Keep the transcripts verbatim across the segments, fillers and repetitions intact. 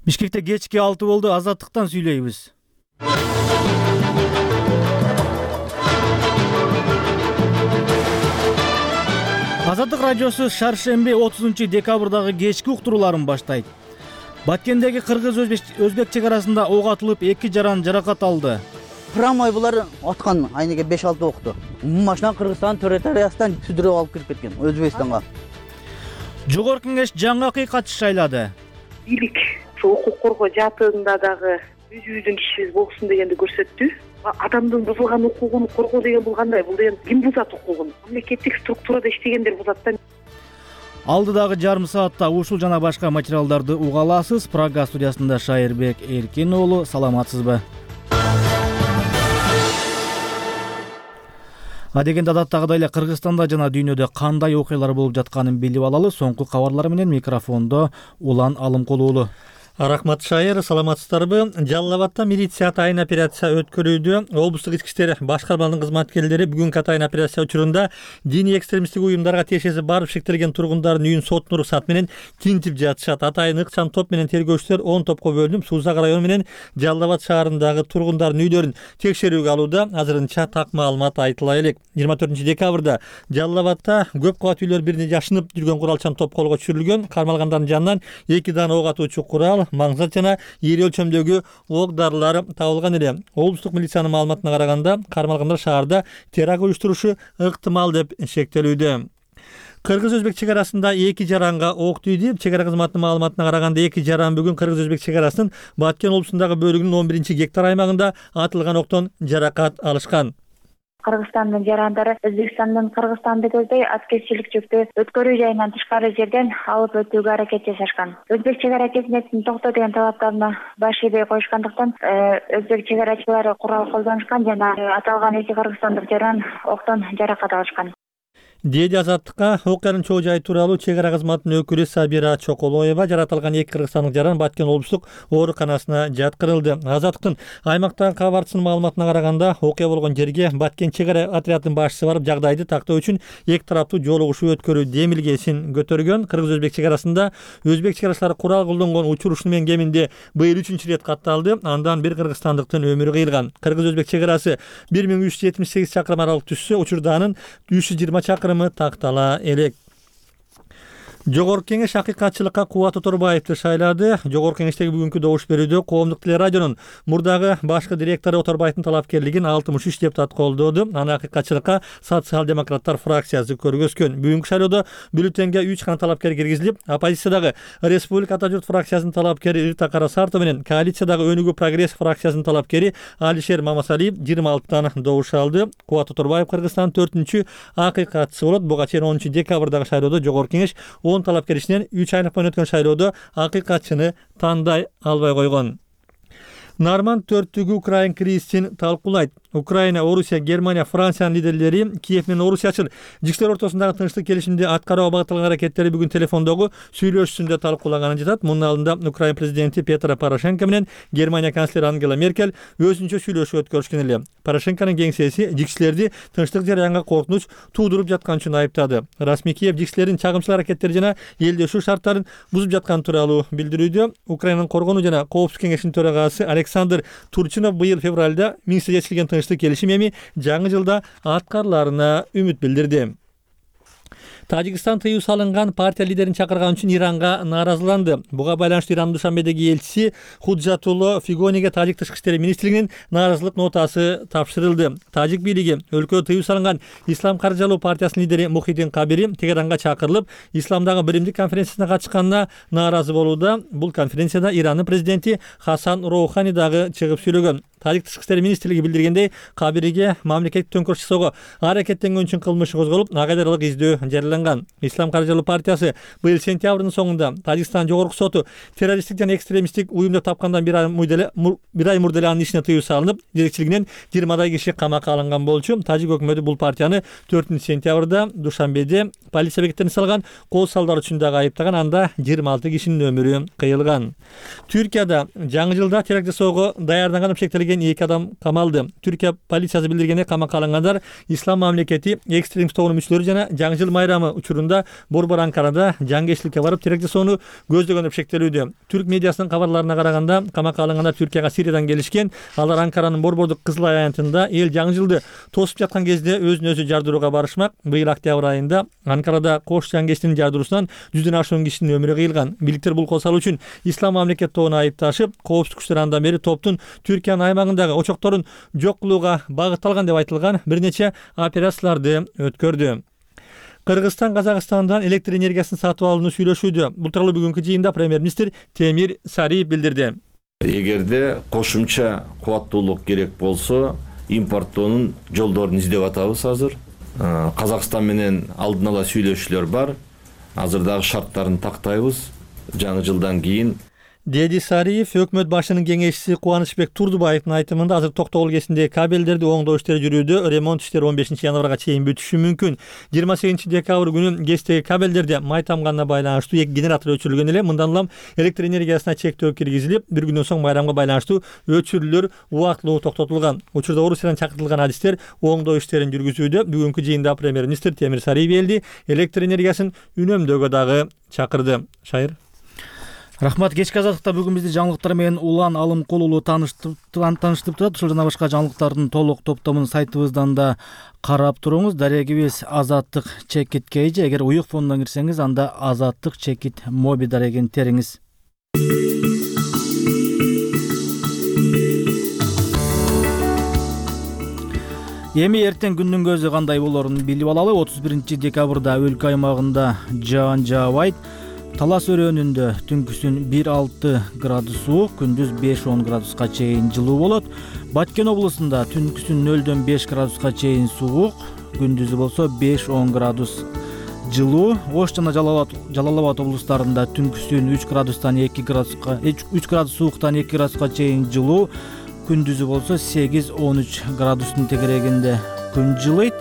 Бишкекте кечки алты болду, Азаттыктан сүйлөйбүз. Азаттык радиосу шаршемби отузунчу декабрдагы кечки уктурууларын баштайт. Баткендеги кыргыз-өзбек чек арасында ок атылып, эки жаран жаракат алды. Прамой булар аткан айнеге беш алты окту. Машина Кыргызстан территориясынан сүдүрүп алып кирип кеткен Өзбекстанга. Жогорку кеңеш жаңы акыйкатчы шайлады. Бийлик ошо укук коргоо жаатында дагы өзүбүздүн кишибиз болсун дегенди көрсөттү. Адамдын бузулган укугун коргоо деген бул кандай? Бул деген ким бузат укугун? Мамлекеттик структурада иштегендер бузат да. Алдыдагы жарым саатта ушул жана башка материалдарды уга аласыз. Прага студиясында Шайырбек Эркин уулу, саламатсызбы? Адегенде адаттагыдай эле Кыргызстанда жана дүйнөдө кандай окуялар болуп жатканын билип алалы. Соңку кабарлар менен микрофондо Улан Алымкул уулу. Рахмат Шайыр, саламатсыздарбы? Жалал Абадта милиция атайын операция өткөрүүдө. Облустук ички иштер башкармаларынын кызматкерлери бүгүнкү атайын операция учурунда диний экстремисттик уюмдарга тиешеси барып шектелген тургундардын үйүн соттун уруксаты менен тинтип жатышат. Атайын ыкчам топ менен тергөөчүлөр он топко бөлүнүп, Сузак району менен Жалал Абад шаарындагы тургундардын үйлөрүн текшерүүгө алууда. Азырынча так маалымат айтыла элек. жыйырма төртүнчү декабрда Жалал Абадта көп кабат үйлөр бирине жашынып жүргөн куралчан топ колго түшүрүлгөн. Кармалгандардын жанынан эки дана ок атуучу курал, маңзат жана ири өлчөмдөгү ок дарылар табылган эле. Облустук милициянын маалыматына караганда, кармалгандар шаарда теракт уюштурушу ыктымал деп шектелүүдө. Кыргыз-өзбек чек арасында эки жаранга ок тийди. Чек ара кызматынын маалыматына караганда эки жаран бүгүн Кыргыз-өзбек чек арасынын Баткен облусундагы бөлүгүнүн он биринчи гектар аймагында атылган октон жаракат алышкан. Кыргызстандын жарандары Өзбекстандын Кыргызстанды көздөй аткезчилик жүктү өткөрүү жайынан тышкары жерден алып өтүүгө аракет жасашкан. Өзбек чек ара кезинетин токто деген талаптарына баш ийбей коюшкандыктан өзбек чек арачылары курал колдонушкан жана аталган эки кыргызстандык жаран октон жаракат алышкан. Деди Азаттыкка окуянын чоо жайы тууралуу чек ара кызматынын өкүлү Сабира Чоколоева. Жаратылган эки кыргызстандык жаран Баткен облустук ооруканасына жаткырылды. Азаттыктын аймактагы кабарчысынын маалыматына караганда, окуя болгон жерге Баткен чек ара отрядынын башчысы барып жагдайды тактоо үчүн эки тараптуу жолугушуу өткөрүү демилгесин көтөргөн. Кыргыз-өзбек чек арасында өзбек чек арачылары курал колдонгон учур ушунун кеминде быйыл үчүнчү ирет катталды. Андан бир кыргызстандыктын өмүрү кыйылган. Кыргыз-өзбек чек арасы бир миң үч жүз жетимиш сегиз чакырым аралык түшсө, учурда анын үч жүз жыйырма чакырым тактала элек. Жогорку кеңеш акыйкатчылыкка Кубат Оторбаевди шайлады. Жогорку кеңештеги бүгүнкү добуш берүүдө Коомдук телерадионун мурдагы башкы директору Оторбаевдин талапкерлигин алтымыш үч депутат колдоду. Аны акыйкатчылыкка социал-демократтар фракциясы көргөзгөн. Бүгүнкү шайлоодо бюллетенге үч гана талапкер киргизилип, оппозициядагы Республика Ата журт фракциясынын талапкери Рита Карасартова менен коалициядагы Өнүгүү прогресс фракциясынын талапкери Алишер Мамасалиев жыйырма алтыдан добуш алды. Кубат Оторбаев Кыргызстандын төртүнчү акыйкатчысы болот. Буга чейин онунчу декабрдагы шайлоодо Жогорку кеңеш он талапкер ичинен үч айлык боюнча өткөн шайлоодо акыйкатчыны тандай албай койгон. Нарман төрттүгү Украин кризисин талкуулайт. Украина, Орусия, Германия, Франциянын лидерлери Киев менен Орусиячыл жиктер ортосундагы тынчтык келишимди аткарууга багытталган аракеттери бүгүн телефондогу сүйлөшүүсүндө талкуулаганын жатат. Мунун алдында Украина президенти Петро Порошенко менен Германия канцлери Ангела Меркель өзүнчө сүйлөшүү өткөрүшкөн эле. Порошенконун кеңсеси жикчилерди тынчтык жараянга коркунуч туудуруп жаткан үчүн айыптады. Расмий Киев жикчилердин чагымчыл аракеттери жана элдешүү шарттарын бузуп жаткан тууралуу билдирүүдө. Украинанын коргонуу жана коопсуздук кеңешинин төрагасы Александр Турчинов быйыл февралда Минскте жетишилген келишим эми жаңы жылда аткарыларына үмүт билдирди. Тажикстан тыюу салынган партия лидерин чакырган үчүн Иранга нааразыланды. Буга байланыштуу Ирандын Душанбедеги элчиси Худжатулло Фигониге тажик тышкы иштер министрлигинин нааразылык нотасы тапшырылды. Тажик бийлиги өлкөдө тыюу салынган Ислам каржылоо партиясынын лидери Мухиддин Кабири Тегеранга чакырылып, исламдагы биримдик конференциясына катышканына нааразы болууда. Бул конференцияда Ирандын президенти Хасан Роухани дагы чыгып сүйлөгөн. Тажик тышкы иштер министрлиги билдиргендей, Кабириге мамлекеттик төңкөрүш жасоого аракеттенгөн үчүн кылмыш козголуп, кайдарылык издөө жарыяланган. Ислам каржылоо партиясы быйыл сентябрдын соңунда Тажикстан жогорку соту террористтик жана экстремисттик уюм деп тапкандан бир ай мурда эле анын ишине тыюу салынып, жетекчилигинен жыйырмадай киши камакка алынган болчу. Тажик өкмөтү бул партияны төртүнчү сентябрда Душанбеде полиция бекеттерине салган кол салдар үчүн дагы айыптаган. Анда жыйырма алты кишинин өмүрү кыйылган. Түркияда жаңы жылда теракт жасоого даярданган деп шектелген эки адам камалды. Түркия полициясы билдиргендей, камакка алынгандар ислам мамлекети экстремист тобунун мүчөлөрү жана жаңы жыл майрамы байрамы учурунда Борбор Анкарада жангечиликке барып терек жасоону көздөгөн деп шектелүүдө. Түрк медиасынын кабарларына караганда, камакка алынгандар Түркияга Сириядан келишкен. Алар Анкаранын Борбордук Кызыл аянтында эл жаңы жылды тосуп жаткан кезде өзүн өзү жардырууга барышмак. Быйыл октябрь айында Анкарада кош жангечтин жардыруусунан жүздөн ашуун кишинин өмүрү кыйылган. Бийликтер бул косал үчүн Ислам мамлекет тобуна айыпташып, коопсуздук күчтөр андан бери топтун Түркиянын аймагындагы очокторун жок кылууга багытталган деп айтылган бир нече операцияларды өткөрдү. Кыргызстан Казакстандан электр энергиясын сатып алууну сүйлөшүүдө. Бул тууралуу бүгүнкү жыйында премьер-министр Темир Сариев билдирди. Эгерде кошумча кубаттуулук керек болсо, импорттоонун жолдорун издеп атабыз азыр. Казакстан менен алдын ала сүйлөшүүлөр бар. Азыр дагы шарттарын тактайбыз. Жаңы жылдан кийин Деди Сариев өкмөт башынын кеңешчиси Кубанычбек Турдубаевдин айтымында азыр Токтогул кесиндеги кабелдерди оңдоо иштери жүрүүдө, ремонт иштери он бешинчи январга чейин бүтүшү мүмкүн. жыйырма сегизинчи декабрь күнү ГЭСтеги кабелдерде май тамганына байланыштуу эки генератор өчүрүлгөн эле. Мындан улам электр энергиясына чектөө киргизилип, бир күндөн соң байрамга байланыштуу өчүрүүлөр убактылуу токтотулган. Учурда Орусиядан чакыртылган адистер оңдоо иштерин жүргүзүүдө. Бүгүнкү жыйында премьер-министр Темир Сариев элди электр энергиясын үнөмдөөгө дагы чакырды. Шайыр. Рахмат. Кечки азаттыкта бүгүн бизди жаңылыктар менен Улан Алымкул уулу тааныштырып турат. Ушул жана башка жаңылыктардын толук топтомун сайтыбыздан да карап туруңуз. Дарегибиз Азаттык чекит кейжи. Эгер уюк фондон кирсеңиз, анда Азаттык чекит моби дарегин териңиз. Эми эртең күндүн көзү кандай болорун билип алалы. отуз биринчи декабрда өлкө аймагында жаан жаабайт. Талас өрөөнүндө түнкүсүн бир алты градус суук, күндүз беш он градуска чейин жылуу болот. Баткен облусунда түнкүсүн нөлдөн беш градуска чейин суук, күндүзү болсо беш он градус жылуу. Ош жана Жалал Абад облустарында түнкүсүн үч градустан эки градуска үч градус сууктан эки градуска чейин жылуу, күндүзү болсо сегиз он үч градустун тегерегинде күн жылыйт.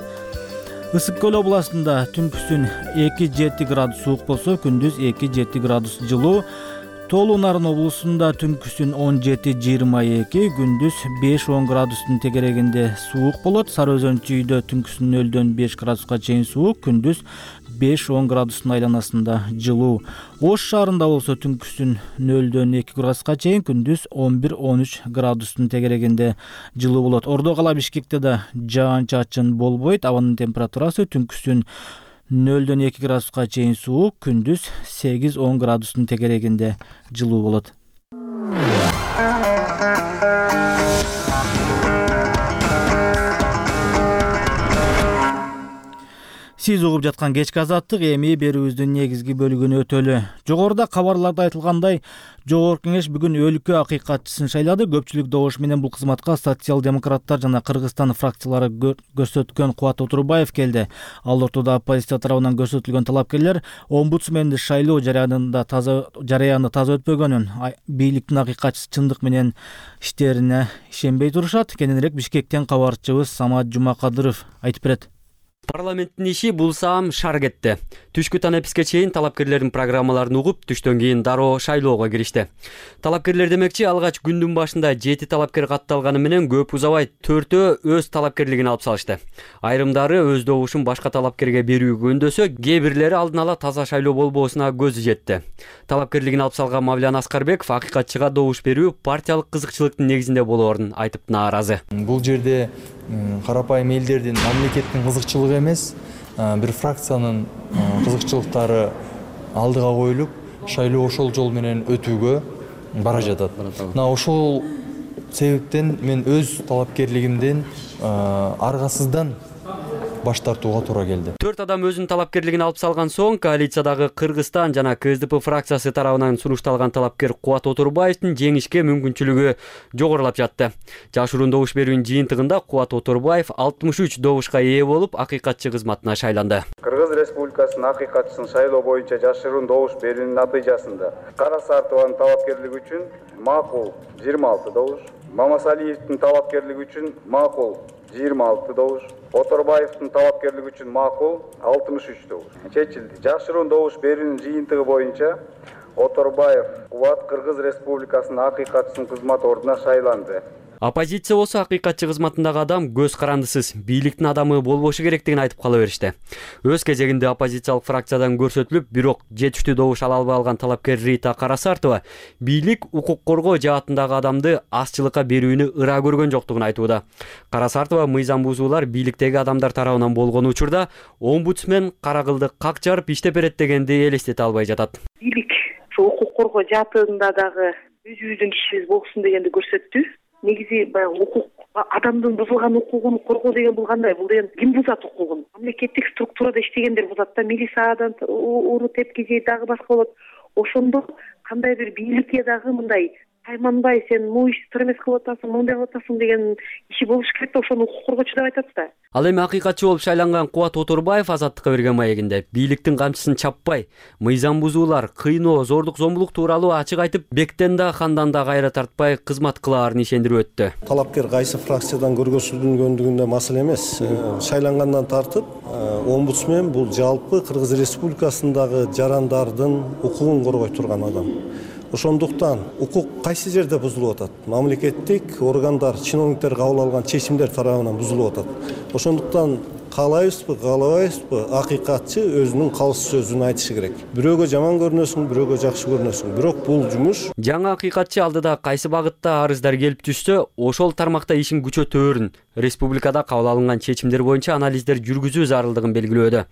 Ысык көл областында түнкүсүн эки жети градус суук болсо, күндүз эки жети градус жылуу. Тоолуу Нарын облусунда түнкүсүн он жети жыйырма эки, күндүз беш он градустун тегерегинде суук болот. Сары Өзөн чүйдө түнкүсүн нөлдөн беш градуска чейин суук, күндүз беш он градустун айланасында жылуу. Ош шаарында болсо түнкүсүн нөлдөн эки градуска чейин, күндүз он бир он үч градустун тегерегинде жылуу болот. Ордо кала Бишкекте да жаан чачын болбойт. Абанын температурасы түнкүсүн нөлдөн эки градуска чейин суук, күндүз сегиз он градустун тегерегинде жылуу болот. Сиз угуп жаткан кечки азаттык эми берүүбүздүн негизги бөлүгүнө өтөлү. Жогоруда кабарларда айтылгандай, Жогорку Кеңеш бүгүн өлкө акыйкатчысын шайлады. Көпчүлүк добуш менен бул кызматка социал-демократтар жана Кыргызстан фракциялары көрсөткөн Кубат Отурбаев келди. Ал ортодо оппозиция тарабынан көрсөтүлгөн талапкерлер омбудсменди шайлоо жарыянында таза жарыяны таза өтпөгөнүн, бийликтин акыйкатчысы чындык менен иштерине ишенбей турушат. Кененирээк Бишкектен кабарчыбыз Самат Жумакадыров айтып берет. Парламенттин иши бул саам шар кетти. Түшкү танеписке чейин талапкерлердин программаларын угуп, түштөн кийин дароо шайлоого киришти. Талапкерлер демекчи, алгач күндүн башында жети талапкер катталганы менен көп узабай төртөө өз талапкерлигин алып салышты. Айрымдары өз добушун башка талапкерге берүүгө үндөсө, кээ бирлери алдын ала таза шайлоо болбоосуна көзү жетти. Талапкерлигин алып салган Мавлян Аскарбеков акыйкатчыга добуш берүү партиялык кызыкчылыктын негизинде болоорун айтып нааразы. Бул жерде карапайым элдердин, мамлекеттин кызыкчылыгы эмес, бир фракциянын кызыкчылыктары алдыга коюлуп, шайлоо ошол жол менен өтүүгө бара жатат. Мына ошол себептен мен өз талапкерлигимден аргасыздан баш тартууга туура келди. Төрт адам өзүнүн талапкерлигин алып салган соң, коалициядагы Кыргызстан жана КСДП фракциясы тарабынан сунушталган талапкер Кубат Отурбаевдин жеңишке мүмкүнчүлүгү жогорулап жатты. Жашыруун добуш берүүнүн жыйынтыгында Кубат Отурбаев алтымыш үч добушка ээ болуп, акыйкатчы кызматына шайланды. Кыргыз Республикасынын акыйкатчысын шайлоо боюнча жашыруун добуш берүүнүн натыйжасында Кара Сартованын талапкерлиги үчүн макул жыйырма алты добуш, Мамасалиевдин талапкерлиги үчүн макул жыйырма алты добуш, Отурбаевдин талапкерлиги үчүн макул алтымыш үч добуш чечилди. Жашыруун добуш берүүнүн жыйынтыгы боюнча Отурбаев Кубат Кыргыз Республикасынын акыйкатчысынын кызмат ордуна шайланды. Оппозиция болсо акыйкатчы кызматындагы адам көз карандысыз, бийликтин адамы болбошу керектигин айтып кала беришти. Өз кезегинде оппозициялык фракциядан көрсөтүлүп, бирок жетиштүү добуш ала албай калган талапкер Рита Карасартова бийлик укук коргоо жаатындагы адамды азчылыкка берүүнү ыра көргөн жоктугун айтууда. Карасартова мыйзам бузуулар бийликтеги адамдар тарабынан болгон учурда омбудсмен кара кылды как жарып иштеп берет дегенди элестете албай жатат. Бийлик ошо укук коргоо жаатында дагы өзүбүздүн кишибиз болсун дегенди көрсөттү. Негизи баягы укук адамдын бузулган укугун коргоо деген бул кандай? Бул деген ким бузат укугун? Мамлекеттик структурада иштегендер бузат да, милициядан уру тепкизи дагы башка болот. Ошондо кандай бир бийликке дагы мындай тайманбай сен могу ишти тыр эмес кылып атасың, мындай кылып атасың деген иши болуш керек да, ошону укук коргоочу деп айтат да. Ал эми акыйкатчы болуп шайланган Кубат Оторбаев Азаттыкка берген маегинде бийликтин камчысын чаппай, мыйзам бузуулар, кыйноо, зордук зомбулук тууралуу ачык айтып, бектен да хандан да кайра тартпай кызмат кылаарын ишендирип өттү. Талапкер кайсы фракциядан көргөзүлгөндүгүндө маселе эмес. Шайлангандан тартып, омбудсмен бул жалпы Кыргыз Республикасындагы жарандардын укугун коргой турган адам. Ошондуктан укук кайсы жерде бузулуп атат? Мамлекеттик органдар, чиновниктер кабыл алган чечимдер тарабынан бузулуп атат. Ошондуктан каалайбызбы, каалабайбызбы, акыйкатчы өзүнүн калыс сөзүн айтышы керек. Бирөөгө жаман көрүнөсүң, бирөөгө жакшы көрүнөсүң. Бирок бул жумуш. Жаңы акыйкатчы алдыда кайсы багытта арыздар келип түшсө, ошол тармакта ишин күчөтөөрүн, республикада кабыл алынган чечимдер боюнча анализдер жүргүзүү зарылдыгын белгилөөдө.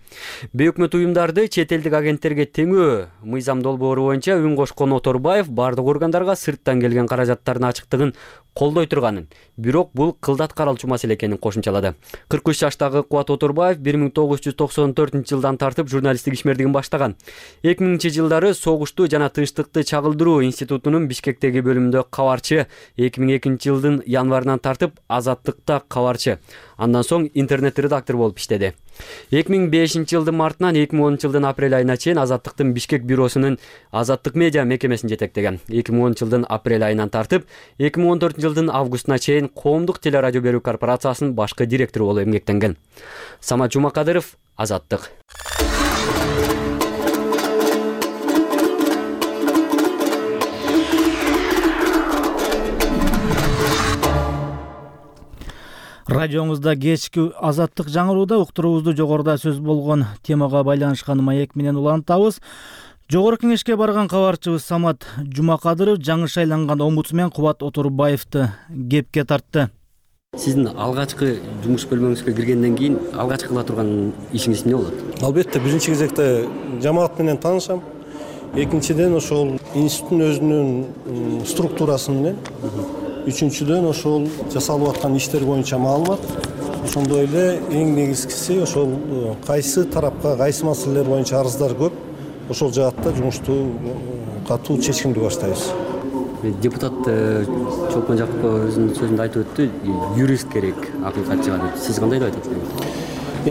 Бейөкмөт уюмдарды чет элдик агенттерге теңөө мыйзам долбоору боюнча үн кошкон Оторбаев бардык органдарга сырттан келген каражаттардын ачыктыгын колдой турганын, бирок бул кылдат каралчу маселе экенин кошумчалады. кырк үч жаштагы Кубат Оторбаев бир миң тогуз жүз токсон төртүнчү жылдан тартып журналисттик ишмердигин баштаган. эки миңинчи жылдары согушту жана тынчтыкты чагылдыруу институтунун Бишкектеги бөлүмүндө кабарчы, эки миң экинчи жылдын январынан тартып Азаттыкта кабарчы. Андан соң интернет редактор болуп иштеди. эки миң бешинчи жылдын мартынан эки миң онунчу жылдын апрель айына чейин Азаттыктын Бишкек бюросунун Азаттык медиа мекемесин жетектеген. эки миң онунчу жылдын апрель айынан тартып эки миң он төртүнчү жылдын августуна чейин Коомдук телерадио берүү корпорациясынын башкы директору болуп эмгектенген. Самат Жумакадыров, Азаттык. Радиоңузда кечки Азаттык жаңырууда уктуруубузду жогоруда сөз болгон темага байланышкан маек менен улантабыз. Жогорку кеңешке барган кабарчыбыз Самат Жумакадыров жаңы шайланган омбудсмен Кубат Оторбаевди кепке тартты. Сиздин алгачкы жумуш бөлмөңүзгө киргенден кийин алгачкы кыла турган ишиңиз эмне болот? Албетте биринчи кезекте жамаат менен таанышам. Экинчиден ошол институттун өзүнүн структурасы менен. Үчүнчүдөн ошол жасалып аткан иштер боюнча маалымат. Ошондой эле эң негизгиси ошол кайсы тарапка кайсы маселелер боюнча арыздар көп. Ошол жаатта жумушту катуу чечкиндүү баштайбыз. Депутат Чолпон Жакупов өзүнүн сөзүндө айтып өттү, юрист керек акыйкатчыга деп. Сиз кандай деп айтасыз?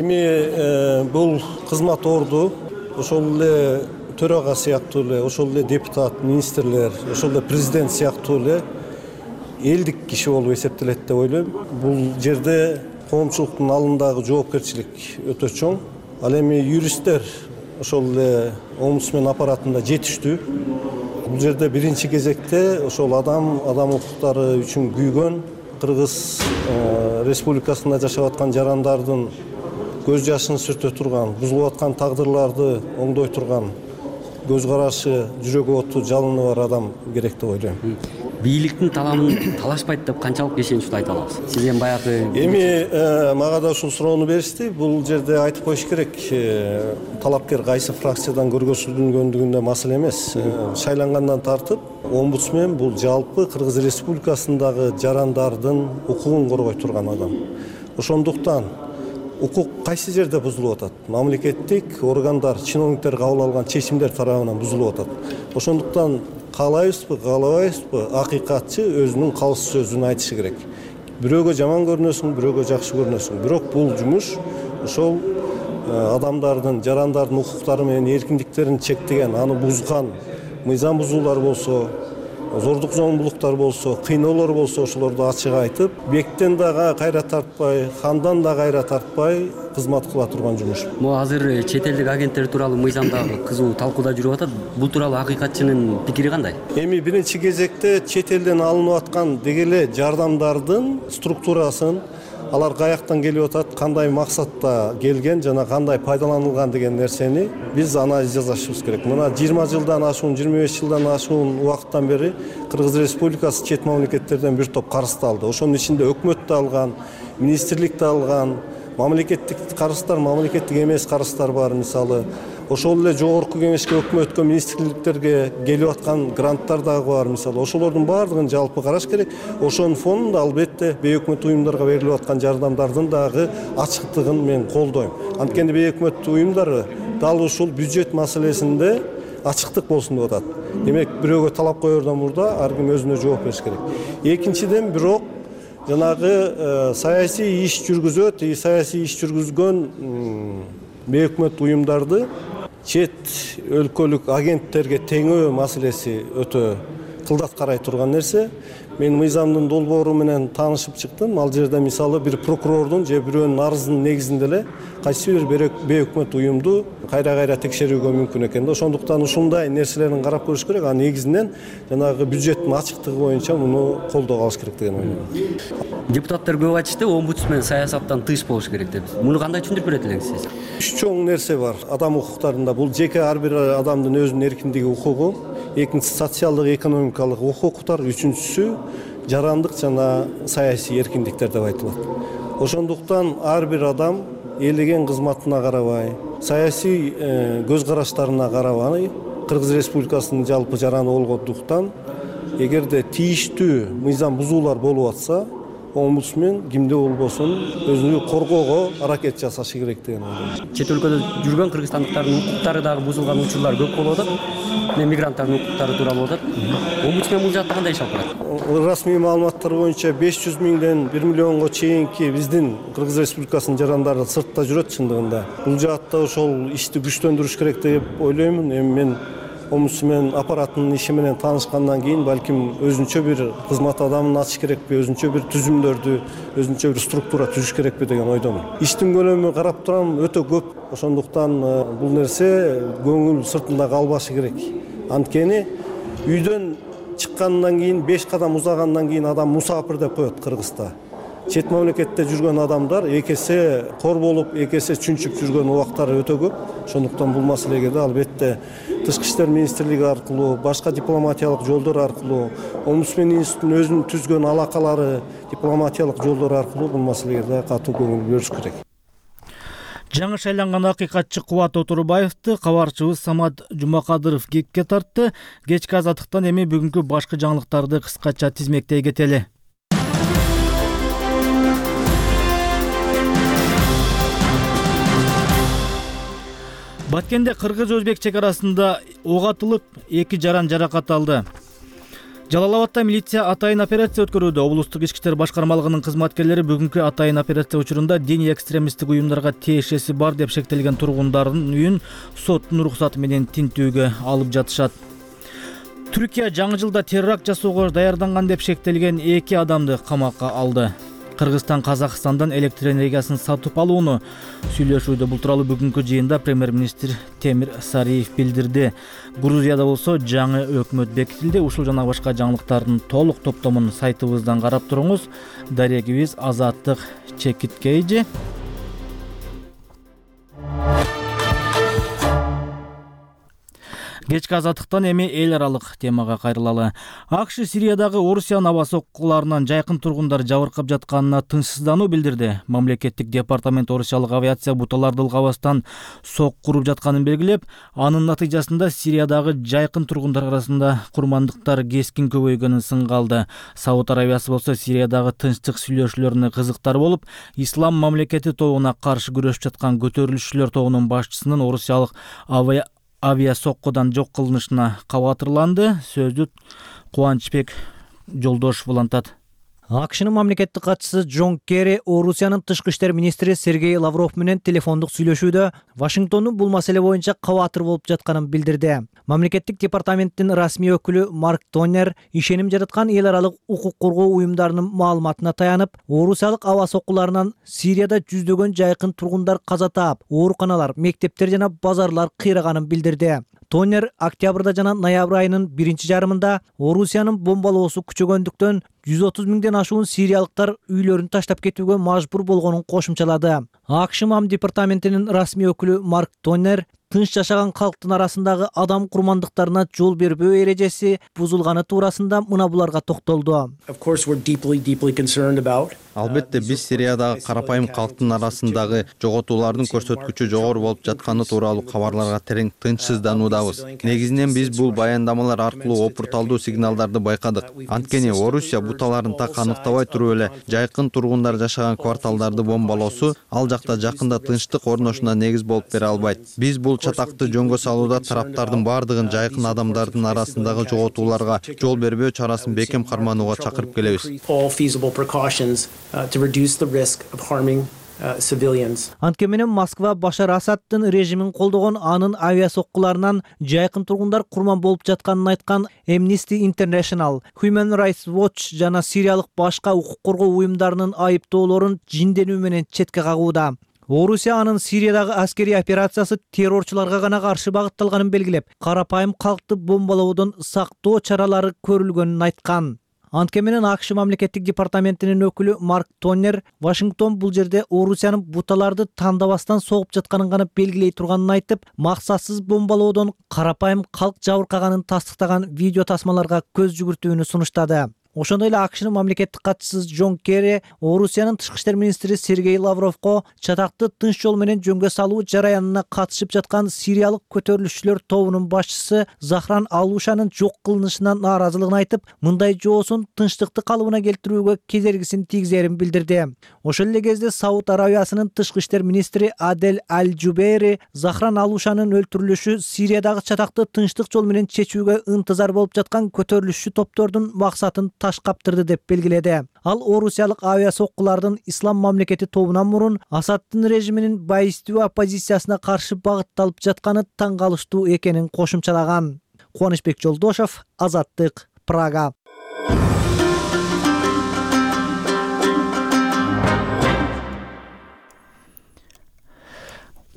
Эми бул кызмат орду, ошол эле төрага сыяктуу эле, ошол эле депутат, министрлер, ошол эле президент сыяктуу эле элдик киши болуп эсептелет деп ойлойм. Бул жерде коомчулуктун алдындагы жоопкерчилик өтө чоң. Ал эми юристтер ошол эле омбудсмен аппаратында жетиштүү. Бул жерде биринчи кезекте ошол адам, адам укуктары үчүн күйгөн Кыргыз Республикасында жашап аткан жарандардын көз жашын сүртө турган, бузулуп аткан тагдырларды оңдой турган көз карашы, жүрөгү оту, жалыны бар адам керек деп ойлойм. Бийликтин таламын талашпайт деп канчалык ишеничтүү айта аласыз? Сиз эми баягы эми мага да ушул суроону беришти. Бул жерде айтып коюш керек, талапкер кайсы фракциядан көргөзүлгөндүгүндө маселе эмес. Шайлангандан тартып, омбудсмен бул жалпы Кыргыз Республикасындагы жарандардын укугун коргой турган адам. Ошондуктан укук кайсы жерде бузулуп атат? Мамлекеттик органдар, чиновниктер кабыл алган чечимдер тарабынан бузулуп атат. Ошондуктан каалайбызбы, каалабайбызбы, акыйкатчы өзүнүн калыс сөзүн айтышы керек. Бирөөгө жаман көрүнөсүң, бирөөгө жакшы көрүнөсүң. Бирок бул жумуш ошол адамдардын, жарандардын укуктары менен эркиндиктерин чектеген, аны бузган мыйзам бузуулар болсо, зордук зомбулуктар болсо, кыйноолор болсо ошолорду ачык айтып, бектен дагы кайра тартпай, хандан да кайра тартпай кызмат кыла турган жумуш. Могу азыр чет элдик агенттер тууралуу мыйзамдагы кызуу талкууда жүрүп атат. Бул тууралуу акыйкатчынын пикири кандай? Эми биринчи кезекте чет элден алынып аткан деги эле жардамдардын структурасын, алар каяктан келип атат, кандай максатта келген жана кандай пайдаланылган деген нерсени биз анализ жасашыбыз керек. Мына жыйырма жылдан ашуун, жыйырма беш жылдан ашуун убакыттан бери Кыргыз Республикасы чет мамлекеттерден бир топ карызды алды. Ошонун ичинде өкмөт да алган, министрлик да алган, мамлекеттик карыздар, мамлекеттик эмес карыздар бар. Мисалы, ошол эле жогорку кеңешке, өкмөткө, министрликтерге келип аткан гранттар дагы бар. Мисалы, ошолордун баардыгын жалпы караш керек. Ошонун фонунда албетте бейөкмөт уюмдарга берилип аткан жардамдардын дагы ачыктыгын мен колдойм. Анткени бейөкмөт уюмдары дал ушул бюджет маселесинде ачыктык болсун деп атат. Демек, бирөөгө талап коердон мурда ар ким өзүнө жооп бериш керек. Экинчиден, бирок жанагы саясий иш жүргүзөт, саясий иш жүргүзгөн бейөкмөт уюмдарды чет өлкөлүк агенттерге теңөө маселеси өтө кылдат карай турган нерсе. Мен мыйзамдын долбоору менен таанышып чыктым. Ал жерде мисалы бир прокурордун же бирөөнүн арызынын негизинде эле кайсы бир бейөкмөт уюмду кайра-кайра текшерүүгө мүмкүн экен да. Ошондуктан ушундай нерселерин карап көрүш керек. А негизинен жанагы бюджеттин ачыктыгы боюнча муну колдоо алыш керек деген ойлойм. Депутаттар көп айтышты, омбудсмен саясаттан тыш болуш керек деп. Муну кандай түшүндүрүп берет элеңиз сиз? Үч чоң нерсе бар адам укуктарында. Бул жеке ар бир адамдын өзүнүн эркиндиги, укугу, экинчиси социалдык, экономикалык укуктар, үчүнчүсү жарандык жана саясий эркиндиктер деп айтылат. Ошондуктан ар бир адам элеген кызматына карабай, саясий көз караштарына карабай, Кыргыз Республикасынын жалпы жараны болгондуктан, эгерде тийиштүү мыйзам бузуулар болуп атса, омбудсмен кимде болбосун өзүнү коргоого аракет жасашы керек деген ойлойм. Чет өлкөдө жүргөн кыргызстандыктардын укуктары дагы бузулган учурлар көп болуп атат. Мигранттардын укуктары тууралуу болуп атат. Омбудсмен бул жакта кандай иш алып барат? Расмий маалыматтар боюнча беш жүз миңден бир миллионго чейинки биздин Кыргыз Республикасынын жарандары сыртта жүрөт чындыгында. Бул жаатта ошол ишти күчтөндүрүш керек деп ойлоймун. Эми мен омбудсмен аппаратынын иши менен таанышкандан кийин балким өзүнчө бир кызмат адамын ачыш керекпи, өзүнчө бир түзүмдөрдү, өзүнчө бир структура түзүш керекпи деген ойдомун. Иштин көлөмү карап турам өтө көп. Ошондуктан бул нерсе көңүл сыртында калбашы керек. Анткени үйдөн чыккандан кийин беш кадам узагандан кийин адам мусапир деп коет Кыргызда. Чет мамлекетте жүргөн адамдар эки эсе кор болуп, эки эсе чүнчүп жүргөн убактары өтө көп. Ошондуктан бул маселеге да албетте Тышкы иштер министрлиги аркылуу, башка дипломатиялык жолдор аркылуу, омбудсмен институтунун өзүнүн түзгөн алакалары, дипломатиялык жолдор аркылуу бул маселеге да катуу көңүл бөлүш керек. Жаңы шайланган акыйкатчы Кубат Отурбаевди кабарчыбыз Самат Жумакадыров кепке тартты. Кечки азаттыктан эми бүгүнкү башкы жаңылыктарды кыскача тизмектей кетели. Баткенде кыргыз-өзбек чек арасында ок атылып, эки жаран жаракат алды. Жалал-Абадда милиция атайын операция өткөрүүдө. Облустук ички иштер башкармалыгынын кызматкерлери бүгүнкү атайын операция учурунда диний экстремисттик уюмдарга тиешеси бар деп шектелген тургундардын үйүн соттун уруксаты менен тинтүүгө алып жатышат. Түркия жаңы жылда терракт жасоого даярданган деп шектелген эки адамды камакка алды. Кыргызстан Казакстандан электр энергиясын сатып алууну сүйлөшүүдө. Бул тууралуу бүгүнкү жыйында премьер-министр Темир Сариев билдирди. Грузияда болсо жаңы өкмөт бекитилди. Ушул жана башка жаңылыктардын толук топтомун сайтыбыздан карап туруңуз. Дарегибиз Азаттык Чекиткейжи. Кечки азаттыктан эми эл аралык темага кайрылалы. АКШ Сириядагы Орусиянын аба соккуларынан жайкын тургундар жабыркап жатканына тынчсыздануу билдирди. Мамлекеттик департамент орусиялык авиация буталарды ылгабастан сок куруп жатканын белгилеп, анын натыйжасында Сириядагы жайкын тургундар арасында курмандыктар кескин көбөйгөнүн сынга алды. Сауд Арабиясы болсо Сириядагы тынчтык сүйлөшүүлөрүнө кызыктар болуп, Ислам мамлекети тобуна каршы күрөшүп жаткан көтөрүлүшчүлөр тобунун башчысынын орусиялык авиа авиа соккудан жок кылынышына кабатырланды. Сөздү Кубанычбек Жолдошев улантат. АКШнын мамлекеттик катчысы Джон Керри Орусиянын тышкы иштер министри Сергей Лавров менен телефондук сүйлөшүүдө Вашингтондун бул маселе боюнча кабатыр болуп жатканын билдирди. Мамлекеттик департаменттин расмий өкүлү Марк Тоннер ишеним жараткан эл аралык укук коргоо уюмдарынын маалыматына таянып, Орусиялык аба соккуларынан Сирияда жүздөгөн жайкын тургундар каза таап, ооруканалар, мектептер жана базарлар кыйраганын билдирди. Тоннер октябрда жана ноябрь айынын биринчи жарымында Орусиянын бомбалоосу күчөгөндүктөн жүз отуз миңден ашуун сириялыктар үйлөрүн таштап кетүүгө мажбур болгонун кошумчалады. АКШ мам департаментинин расмий өкүлү Марк Тоннер тынч жашаган калктын арасындагы адам курмандыктарына жол бербөө эрежеси бузулганы туурасында мына буларга токтолду. Албетте биз Сириядагы карапайым калктын арасындагы жоготуулардын көрсөткүчү жогору болуп жатканы тууралуу кабарларга терең тынчсыздануудабыз. Негизинен биз бул баяндамалар аркылуу опурталдуу сигналдарды байкадык. Анткени Орусия буталарын так аныктабай туруп эле жайкын тургундар жашаган кварталдарды бомбалоосу ал жакта жакында тынчтык орношуна негиз болуп бере албайт. Биз бул чатакты жөнгө салууда тараптардын бардыгын жайкын адамдардын арасындагы жоготууларга жол бербөө чарасын бекем карманууга чакырып келебиз. Антке менен Москва Башар Асаддын режимин колдогон анын авиа соккуларынан жайкын тургундар курман болуп жатканын айткан Amnesty International, Human Rights Watch жана сириялык башка укук коргоо уюмдарынын айыптоолорун жинденүү менен четке кагууда. Орусия анын Сириядагы аскерий операциясы террорчуларга гана каршы багытталганын белгилеп, карапайым калкты бомбалоодон сактоо чаралары көрүлгөнүн айткан. Антке менен АКШ мамлекеттик департаментинин өкүлү Марк Тоннер Вашингтон бул жерде Орусиянын буталарды тандабастан согуп жатканын гана белгилей турганын айтып, максатсыз бомбалоодон карапайым калк жабыркаганын тастыктаган видео тасмаларга көз жүгүртүүнү сунуштады. Ошондой эле АКШнын мамлекеттик катчысы Джон Керри Орусиянын тышкы иштер министри Сергей Лавровго чатакты тынч жол менен жөнгө салуу жараянына катышып жаткан сириялык көтөрүлүшчүлөр тобунун башчысы Захран Алушанын жок кылынышынан нааразылыгын айтып, мындай жоосун тынчтыкты калыбына келтирүүгө кедергисин тийгизерин билдирди. Ошол эле кезде Сауд Арабиясынын тышкы иштер министри Адель Аль-Жубейри Захран Алушанын өлтүрүлүшү Сириядагы чатакты тынчтык жол менен чечүүгө ынтызар болуп жаткан көтөрүлүшчү топтордун максатын таш каптырды деп белгиледи. Ал орусиялык авиа соккулардын ислам мамлекети тобунан мурун Асаддын режиминин байыстуу оппозициясына каршы багытталып жатканы таң калыштуу экенин кошумчалаган. Кубанычбек Жолдошов, Азаттык, Прага.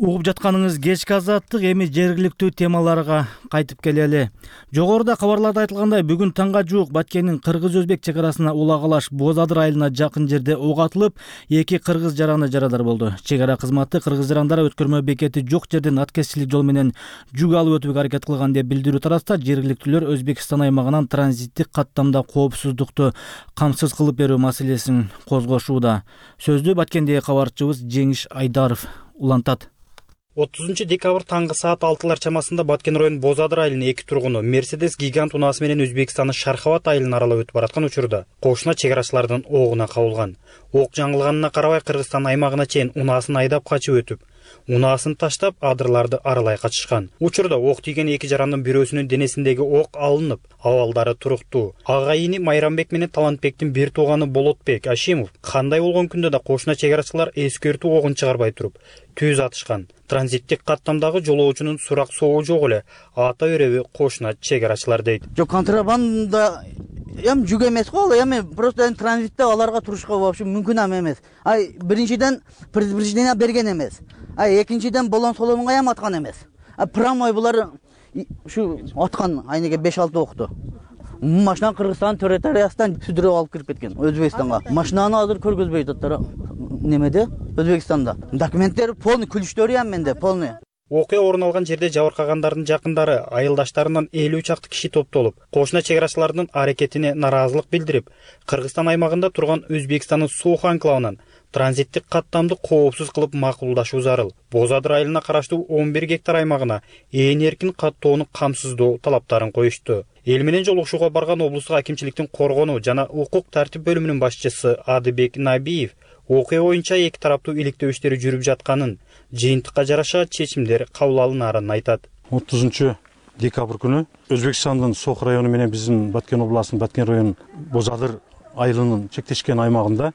Угуп жатканыңыз кечки Азаттык, эми жергиликтүү темаларга кайтып келели. Жогоруда кабарларда айтылгандай, бүгүн таңга жуук Баткендин кыргыз-өзбек чек арасына Ула-Калаш Боз-Адыр айылына жакын жерде ок атылып, эки кыргыз жараны жарадар болду. Чек ара кызматы кыргыз жарандары өткөрмө бекети жок жерден аткезчилик жол менен жүк алып өтүүгө аракет кылган деп билдирүү тараста жергиликтүүлөр Өзбекстан аймагынан транзиттик каттамда коопсуздукту камсыз кылып берүү маселесин козгошууда. Сөздү Баткендеги кабарчыбыз Жеңиш Айдаров улантат. отузунчу декабрь таңгы саат алтылар чамасында Баткен районунун Боз-Адыр айылынын эки тургуну Мерседес гигант унаасы менен Өзбекстандын Шархават айылын аралап өтүп бараткан учурда кошуна чек арачылардын огуна кабылган. Ок жаңылганына карабай Кыргызстан аймагына чейин унаасын айдап качып өтүп, унаасын таштап адырларды аралай качышкан. Учурда ок тийген эки жарандын бирөөсүнүн денесиндеги ок алынып, абалдары туруктуу. Ага ини Майрамбек менен Талантбектин бир тууганы Болотбек Ашимов кандай болгон күндө да кошуна чек арачылар эскертүү огун чыгарбай туруп түз атышкан. Транзиттик каттамдагы жолоочунун сурак соогу жок эле ата береби кошуна чек арачылар дейт. Жок, контрабанда эми жүк эмес го, ал эми просто транзитте аларга турушка вообще мүмкүн эмес. Ай биринчиден предупреждение берген эмес. Ай экинчиден болон соломунга эм аткан эмес. А прямой булар ушу аткан айнеге беш алты окту. Машина Кыргызстан территориясынан сүдүрүп алып кирип кеткен Өзбекстанга. Машинаны азыр көргөзбөйт аттар немеде Өзбекстанда. Документтери полный, күлүштөрү эм менде полный. Окуя орун алган жерде жабыркагандардын жакындары айылдаштарынан элүү чакты киши топтолуп, кошуна чек арачылардын аракетине наразылык билдирип, Кыргызстан аймагында турган Өзбекстандын Суух анклавынан транзиттик каттамды коопсуз кылып макулдашуу зарыл. Боз-Адыр айылына караштуу он бир гектар аймагына ээн эркин каттоону камсыздоо талаптарын коюшту. Эл менен жолугушууга барган облустук акимчиликтин коргонуу жана укук тартип бөлүмүнүн башчысы Адыбек Набиев окуя боюнча эки тараптуу иликтөө иштери жүрүп жатканын, жыйынтыкка жараша чечимдер кабыл алынаарын айтат. отузунчу декабрь күнү Өзбекстандын Сох району менен биздин Баткен областынын Баткен районунун Боз-Адыр айылынын чектешкен аймагында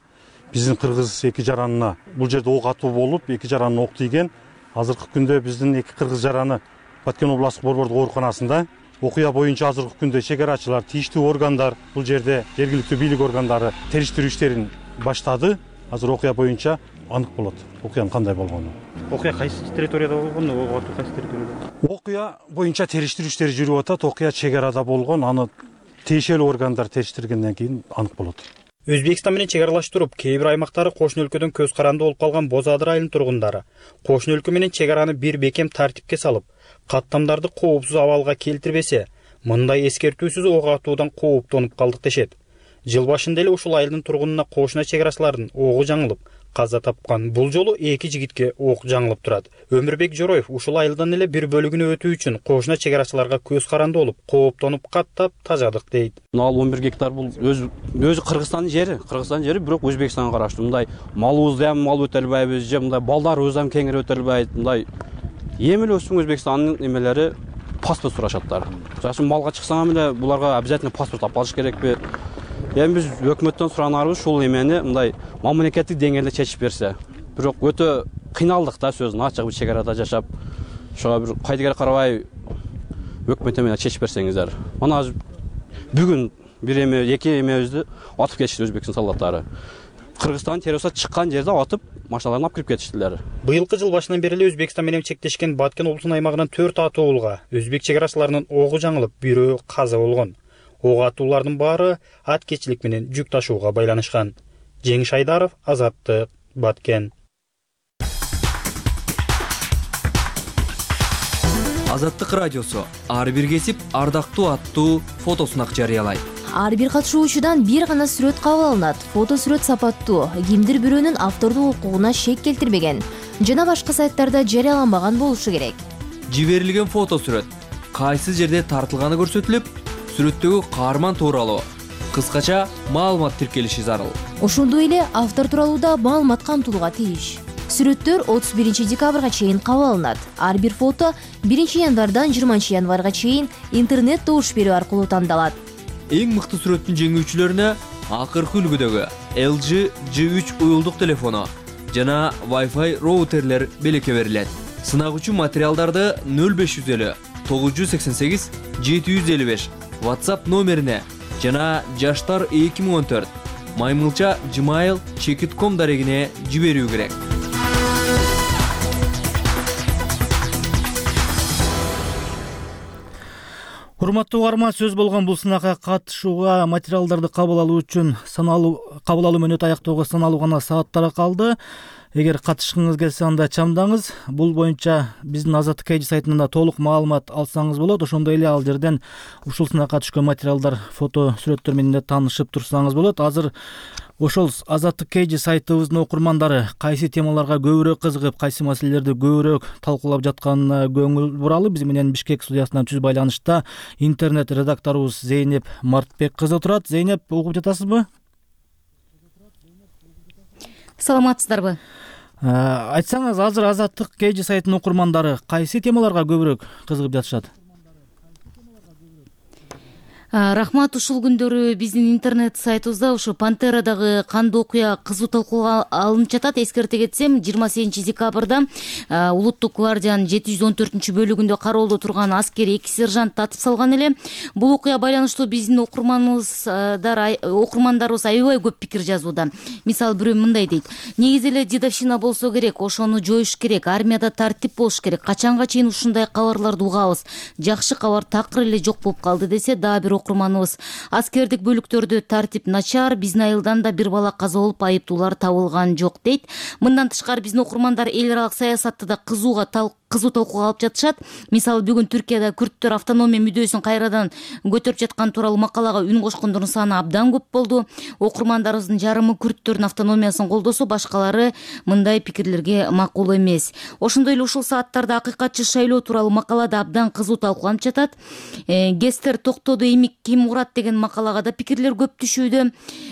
биздин кыргыз эки жаранына бул жерде ок атуу болуп, эки жаранына ок тийген. Азыркы күндө биздин эки кыргыз жараны Баткен областык борбордук ооруканасында. Окуя боюнча азыркы күндө чек арачылар, тийиштүү органдар бул жерде жергиликтүү бийлик органдары териштирүү иштерин баштады. Азыр окуя боюнча анык болот окуянын кандай болгону. Окуя кайсы территорияда болгон, ок атуу кайсы территорияда? Окуя боюнча териштирүү иштери жүрүп атат. Окуя чек арада болгон, аны тиешелүү органдар териштиргенден кийин анык болот. Өзбекстан менен чек аралаштырып, кээ бир аймактары кошуна өлкөдөн көз каранды болуп калган Боз Адыр айылынын тургундары кошуна өлкө менен чек араны бир бекем тартипке салып, каттамдарды коопсуз абалга келтирбесе, мындай эскертүүсүз ок атуудан кооптонуп калдык дешет. Жыл башында эле ушул айылдын тургунуна кошуна чек арачылардын огу жаңылып, каза тапкан. Бул жолу эки жигитке ок жаңылып турат. Өмүрбек Жороев ушул айылдан эле бир бөлүгүнө өтүү үчүн кошуна чек арачыларга көз каранды болуп, кооптонуп каттап тажадык дейт. Ал он бир гектар бул өзү өзү Кыргызстандын жери, Кыргызстандын жери, бирок Өзбекстанга караштуу. Мындай малыбызды ham мал өтө албайбыз, же мындай балдарыбыз ham кеңири өтө албайт. Мындай эми эле өсүң Өзбекстандын эмелери паспорт сурашаттар. Жашын малга чыксаң эле буларга обязательно паспорт алып калыш керекпи? Эми биз өкмөттөн суранарыбыз ушул эмени мындай мамлекеттик деңгээлде чечип берсе. Бирок өтө кыйналдык да сөзүн ачык бир чек арада жашап. Ошого бир кайдыгер карабай өкмөт менен чечип берсеңиздер. Мына бүгүн бир эме, эки эмебизди атып кетишти Өзбекстан солдаттары. Кыргызстан террористтер чыккан жерде атып, машиналарын алып кирип кетиштилер. Быйылкы жыл башынан бери эле Өзбекстан менен чектешкен Баткен облусунун аймагынан төрт атуулга өзбек чек арачыларынын огу жаңылып, бирөө каза болгон. Ок атуулардын баары аткечилик менен жүк ташууга байланышкан. Жеңиш Айдаров, Азаттык, Баткен. Азаттык радиосу ар бир кесип ардактуу аттуу фотосунак жарыялайт. Ар бир катышуучудан бир гана сүрөт кабыл алынат. Фото сүрөт сапаттуу, кимдир бирөөнүн автордук укугуна шек келтирбеген жана башка сайттарда жарыяланбаган болушу керек. Жиберилген фото сүрөт кайсы жерде тартылганы көрсөтүлүп, сүрөттөгү каарман тууралуу кыскача маалымат тиркелиши зарыл. Ошондой эле автор тууралуу да маалымат камтылууга тийиш. Сүрөттөр отуз биринчи декабрга чейин кабыл алынат. Ар бир фото биринчи январдан жыйырманчы январга чейин интернет добуш берүү аркылуу тандалат. Эң мыкты сүрөттүн жеңүүчүлөрүнө акыркы үлгүдөгү эл джи джи үч уюлдук телефону жана Wi-Fi роутерлер белекке берилет. Сынак үчүн материалдарды нөл беш жүз элүү тогуз жүз сексен сегиз жети жүз элүү беш WhatsApp номерине жана жаштар эки миң он төрт маймылча gmail чекит точка ком дарегине жиберүү керек. Урматтуу угарман, сөз болгон бул сынакка катышууга материалдарды кабыл алуу үчүн саналуу кабыл алуу мөөнөтү аяктоого саналуу гана сааттар калды. Эгер катышкыңыз келсе, анда чамдаңыз. Бул боюнча биздин Азаттык эйджи сайтынан да толук маалымат алсаңыз болот. Ошондой эле ал жерден ушул сынакка түшкөн материалдар, фото сүрөттөр менен да таанышып турсаңыз болот. Азыр ошол Азаттык эйджи сайтыбыздын окурмандары кайсы темаларга көбүрөөк кызыгып, кайсы маселелерди көбүрөөк талкуулап жатканына көңүл буралы. Биз менен Бишкек студиясынан түз байланышта интернет редакторубуз Зейнеп Мартбек кызы турат. Зейнеп, угуп жатасызбы? Саламатсыздарбы? Айтсаңыз, азыр Азаттык эйджи сайтынын окурмандары кайсы темаларга көбүрөөк кызыгып жатышат? Рахмат, ушул күндөрү биздин интернет сайтыбызда ушу Пантерадагы кандуу окуя кызуу талкууга алынып жатат. Эскерте кетсем, жыйырма сегизинчи декабрда Улуттук гвардиянын жети жүз он төртүнчү бөлүгүндө кароолдо турган аскери эки сержант атып салган эле. Бул окуя байланыштуу биздин окурманыбыздар окурмандарыбыз аябай көп пикир жазууда. Мисалы, бирөө мындай дейт: негизи эле дедовщина болсо керек, ошону жоюш керек, армияда тартип болуш керек, качанга чейин ушундай кабарларды угабыз, жакшы кабар такыр эле жок болуп калды десе, дагы бир окурманыбыз: аскердик бөлүктөрдө тартип начар, биздин айылдан да бир бала каза болуп, айыптуулар табылган жок дейт. Мындан тышкары биздин окурмандар эл аралык саясатты да кызууга кызуу талкууга алып жатышат. Мисалы, бүгүн Түркияда күрттөр автономия мүдөөсүн кайрадан көтөрүп жаткан тууралуу макалага үн кошкондордун саны абдан көп болду. Окурмандарыбыздын жарымы күрттөрдүн автономиясын колдосо, башкалары мындай пикирлерге макул эмес. Ошондой эле ушул сааттарда акыйкатчы шайлоо тууралуу макала да абдан кызуу талкууланып жатат. Гестер токтоду эми демек ким урат деген макалага да пикирлер көп түшүүдө.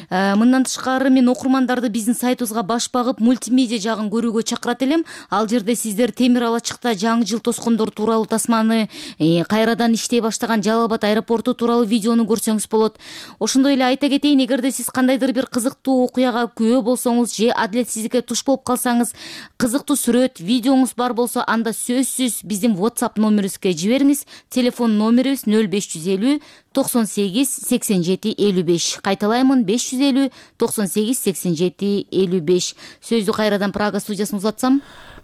Мындан тышкары мен окурмандарды биздин сайтыбызга баш багып мультимедиа жагын көрүүгө чакырат элем. Ал жерде сиздер Темир Алачыкта жаңы жыл тоскондор тууралуу тасманы, кайрадан иштей баштаган Жалал Абад аэропорту тууралуу видеону көрсөңүз болот. Ошондой эле айта кетейин, эгерде сиз кандайдыр бир кызыктуу окуяга күбө болсоңуз же адилетсиздикке туш болуп калсаңыз, кызыктуу сүрөт, видеоңуз бар болсо, анда сөзсүз биздин WhatsApp номерибизге жибериңиз. Телефон номерибиз нөл беш жүз элүү токсон сегиз сексен жети элүү беш. Кайталаймын, беш жүз элүү токсон сегиз сексен жети элүү беш. Сөздү кайрадан Прага студиясына узатсам.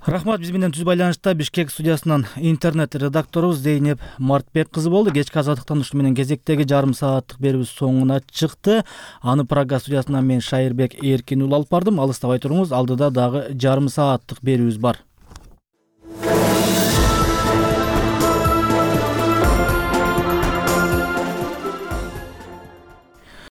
Рахмат, биз менен түз байланышта Бишкек студиясынан интернет редакторубуз Зейнеп Мартбек кызы болду. Кечки азаттыктан ушу менен кезектеги жарым сааттык берүүбүз соңуна чыкты. Аны Прага студиясынан мен Шайырбек Эркин уулу алып бардым. Алыстабай туруңуз, алдыда дагы жарым сааттык берүүбүз бар.